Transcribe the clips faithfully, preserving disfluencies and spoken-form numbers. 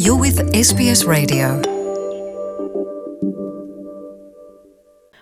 You're with S B S Radio.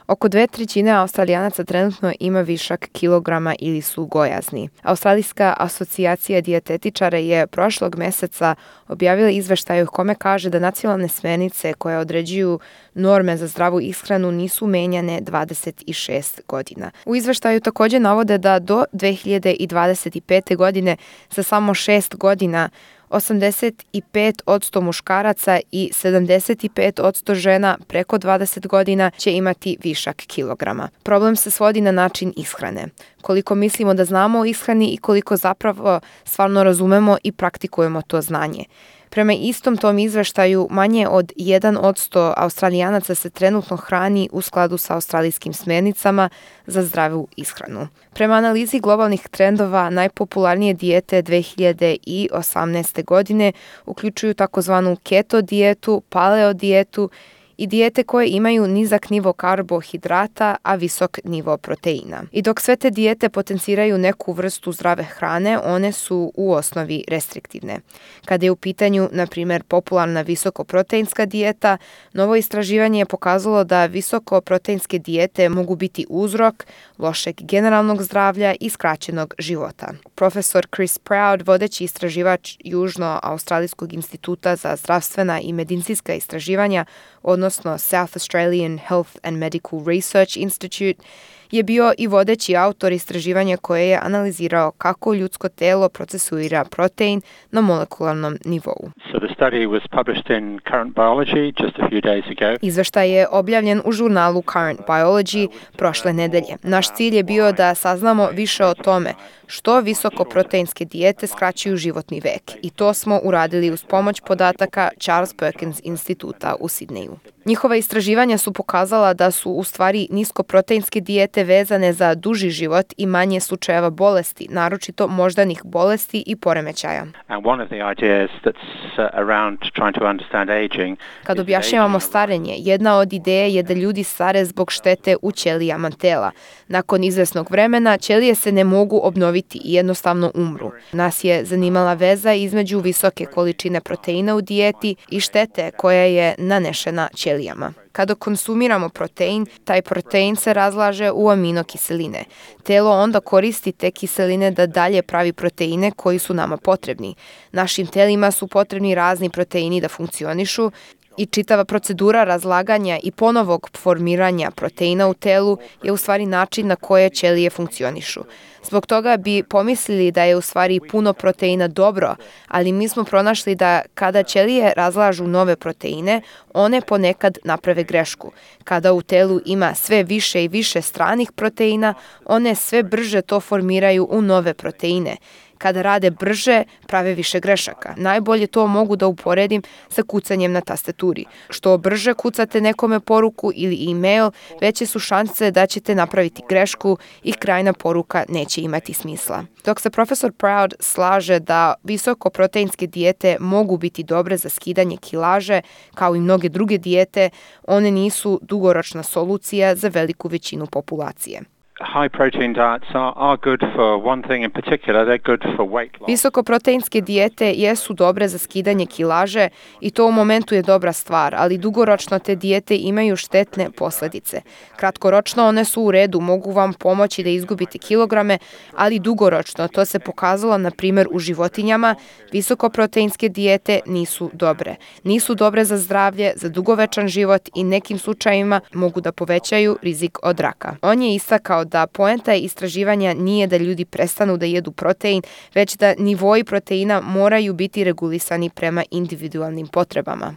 Oko dve trećine Australijanaca trenutno ima višak kilograma ili su gojazni. Australijska asocijacija dijetetičara je prošlog meseca objavila izveštaj u kome kaže da nacionalne smernice koje određuju norme za zdravu ishranu nisu menjane dvadeset šest godina. U izveštaju također navode da do dve hiljade dvadeset pete. godine za samo šest godina osamdeset pet posto muškaraca i sedamdeset pet posto žena preko dvadeset godina će imati višak kilograma. Problem se svodi na način ishrane. Koliko mislimo da znamo o ishrani i koliko zapravo stvarno razumemo i praktikujemo to znanje. Prema istom tom izveštaju, manje od jedan posto Australijanaca se trenutno hrani u skladu sa australijskim smernicama za zdravu ishranu. Prema analizi globalnih trendova, najpopularnije dijete dve hiljade osamnaeste. godine uključuju takozvanu keto dijetu, paleo dijetu i dijete koje imaju nizak nivo karbohidrata, a visok nivo proteina. I dok sve te dijete potenciraju neku vrstu zdrave hrane, one su u osnovi restriktivne. Kada je u pitanju, na primjer, popularna visokoproteinska dijeta, novo istraživanje je pokazalo da visokoproteinske dijete mogu biti uzrok lošeg generalnog zdravlja i skraćenog života. Profesor Chris Proud, vodeći istraživač Južno-Australijskog instituta za zdravstvena i medicinska istraživanja, odnosno South Australian Health and Medical Research Institute, je bio i vodeći autor istraživanja koje je analizirao kako ljudsko telo procesuira protein na molekularnom nivou. So the study was published in Current Biology just a few days ago. Izveštaj je objavljen u žurnalu Current Biology prošle nedelje. Naš cilj je bio da saznamo više o tome što visokoproteinske dijete skraćuju životni vek, i to smo uradili uz pomoć podataka Charles Perkins instituta u Sidneju. Njihova istraživanja su pokazala da su u stvari niskoproteinske dijete vezane za duži život i manje slučajeva bolesti, naročito moždanih bolesti i poremećaja. And one of the ideas that's uh, around trying to understand aging. Kad objašnjavamo starenje, jedna od ideja je da ljudi stare zbog štete u ćelijama tela. Nakon izvesnog vremena ćelije se ne mogu obnoviti i jednostavno umru. Nas je zanimala veza između visoke količine proteina u dijeti i štete koja je nanešena ćelijama. Kada konsumiramo protein, taj protein se razlaže u aminokiseline. Telo onda koristi te kiseline da dalje pravi proteine koji su nama potrebni. Našim telima su potrebni razni proteini da funkcionišu i čitava procedura razlaganja i ponovog formiranja proteina u telu je u stvari način na koje ćelije funkcionišu. Zbog toga bi pomislili da je u stvari puno proteina dobro, ali mi smo pronašli da kada ćelije razlažu nove proteine, one ponekad naprave grešku. Kada u telu ima sve više i više stranih proteina, one sve brže to formiraju u nove proteine. Kada rade brže, prave više grešaka. Najbolje to mogu da uporedim sa kucanjem na tastaturi. Što brže kucate nekome poruku ili e-mail, veće su šanse da ćete napraviti grešku i krajna poruka neće imati smisla. Dok se profesor Proud slaže da visokoproteinske dijete mogu biti dobre za skidanje kilaže, kao i mnoge druge dijete, one nisu dugoročna solucija za veliku većinu populacije. High protein diets are, are good for one thing in particular, they're good for weight loss. Visokoproteinske dijete jesu dobre za skidanje kilaže i to u momentu je dobra stvar, ali dugoročno te dijete imaju štetne posljedice. Kratkoročno one su u redu, mogu vam pomoći da izgubite kilograme, ali dugoročno, to se pokazalo na primjer u životinjama, visokoproteinske dijete nisu dobre. Nisu dobre za zdravlje, za dugovečan život i nekim slučajevima mogu da povećaju rizik od raka. On je istakao da poenta istraživanja nije da ljudi prestanu da jedu protein, već da nivoi proteina moraju biti regulisani prema individualnim potrebama.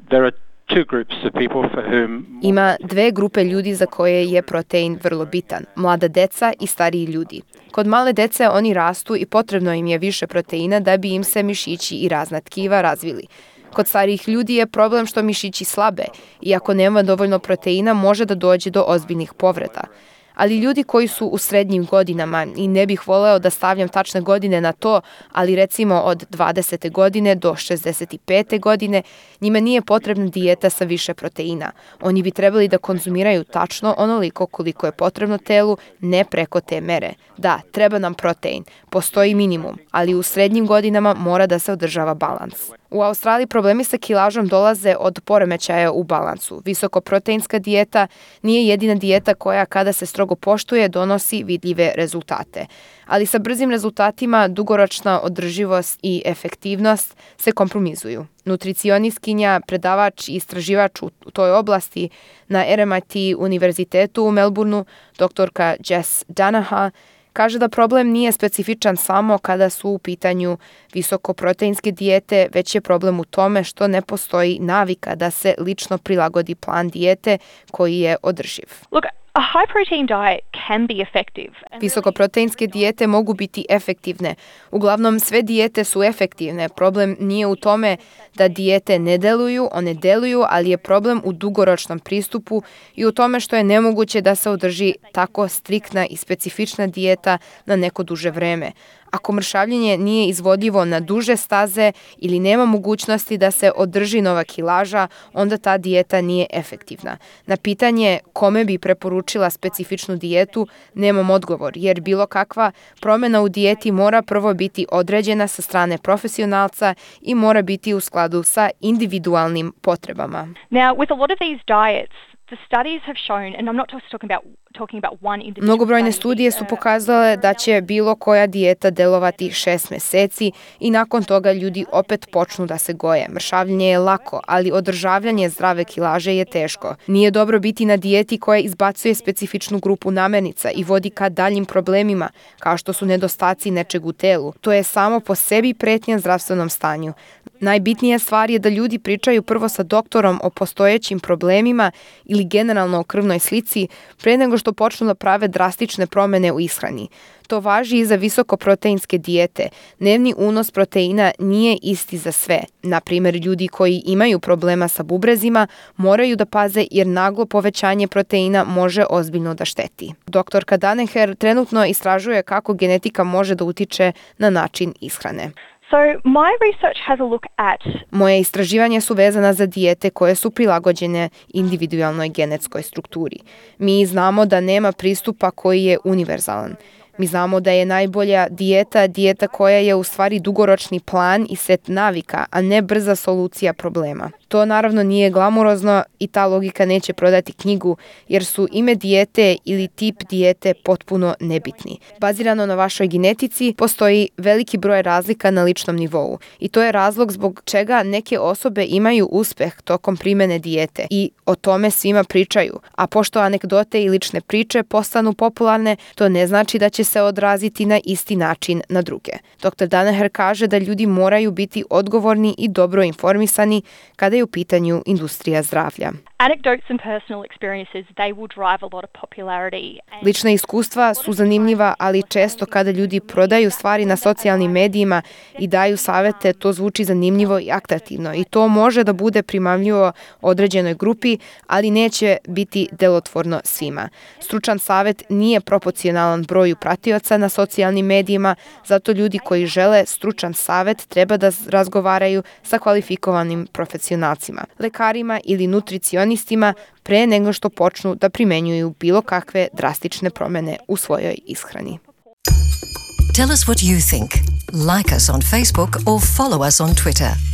There are two groups of people for whom... Ima dve grupe ljudi za koje je protein vrlo bitan, mlada deca i stariji ljudi. Kod male dece oni rastu i potrebno im je više proteina da bi im se mišići i razna tkiva razvili. Kod starijih ljudi je problem što mišići slabe i ako nema dovoljno proteina može da dođe do ozbiljnih povreda. Ali ljudi koji su u srednjim godinama, i ne bih voleo da stavljam tačne godine na to, ali recimo od dvadesete godine do šezdeset pete godine, njima nije potrebna dijeta sa više proteina. Oni bi trebali da konzumiraju tačno onoliko koliko je potrebno telu, ne preko te mere. Da, treba nam protein, postoji minimum, ali u srednjim godinama mora da se održava balans. U Australiji problemi sa kilažom dolaze od poremećaja u balansu. Visokoproteinska dijeta nije jedina dijeta koja, kada se strogo poštuje, donosi vidljive rezultate. Ali sa brzim rezultatima dugoročna održivost i efektivnost se kompromizuju. Nutricionistkinja, predavač i istraživač u toj oblasti na R M I T univerzitetu u Melbourneu, doktorka Jess Danaher, kaže da problem nije specifičan samo kada su u pitanju visokoproteinske dijete, već je problem u tome što ne postoji navika da se lično prilagodi plan dijete koji je održiv. Look, a high protein diet can be effective. Visokoproteinske dijete mogu biti efektivne. Uglavnom, sve dijete su efektivne. Problem nije u tome da dijete ne deluju, one deluju, ali je problem u dugoročnom pristupu i u tome što je nemoguće da se održi tako striktna i specifična dijeta na neko duže vreme. Ako mršavljenje nije izvodljivo na duže staze ili nema mogućnosti da se održi nova kilaža, onda ta dijeta nije efektivna. Na pitanje kome bi preporučila specifičnu dijetu, nemam odgovor, jer bilo kakva promjena u dijeti mora prvo biti određena sa strane profesionalca i mora biti u skladu sa individualnim potrebama. Now, with a lot of these diets, the studies have shown, and I'm not just talking about talking about one individual. Mnogobrojne studije su pokazale da će bilo koja dijeta delovati šest mjeseci i nakon toga ljudi opet počnu da se goje. Mršavljenje je lako, ali održavljanje zdrave kilaže je teško. Nije dobro biti na dijeti koja izbacuje specifičnu grupu namirnica i vodi ka daljim problemima, kao što su nedostaci nečeg u telu. To je samo po sebi pretnja zdravstvenom stanju. Najbitnija stvar je da ljudi pričaju prvo sa doktorom o postojećim problemima ili generalno o krvnoj slici pre nego što počnu da prave drastične promjene u ishrani. To važi i za visokoproteinske dijete. Dnevni unos proteina nije isti za sve. Na primjer, ljudi koji imaju problema sa bubrezima moraju da paze jer naglo povećanje proteina može ozbiljno da šteti. Doktorka Danaher trenutno istražuje kako genetika može da utiče na način ishrane. So my research has a look at Moje istraživanja su vezana za dijete koje su prilagođene individualnoj genetskoj strukturi. Mi znamo da nema pristupa koji je univerzalan. Mi znamo da je najbolja dijeta dijeta koja je u stvari dugoročni plan i set navika, a ne brza solucija problema. To naravno nije glamurozno i ta logika neće prodati knjigu, jer su ime dijete ili tip dijete potpuno nebitni. Bazirano na vašoj genetici postoji veliki broj razlika na ličnom nivou i to je razlog zbog čega neke osobe imaju uspeh tokom primjene dijete i o tome svima pričaju. A pošto anegdote i lične priče postanu popularne, to ne znači da će se odraziti na isti način na druge. doktor Danaher kaže da ljudi moraju biti odgovorni i dobro informisani kada je u pitanju industrija zdravlja. anecdotes and personal experiences, they will drive a lot of popularity. Lična iskustva su zanimljiva, ali često kada ljudi prodaju stvari na socijalnim medijima i daju savete, to zvuči zanimljivo i atraktivno i to može da bude primamljivo određenoj grupi, ali neće biti delotvorno svima. Stručan savet nije proporcionalan broju pratioca na socijalnim medijima, zato ljudi koji žele stručan savet treba da razgovaraju sa kvalifikovanim profesionalcima, lekarima ili nutricionistima pre nego što počnu da primenjuju bilo kakve drastične promjene u svojoj ishrani. Tell us what you think. Like us on Facebook or follow us on Twitter.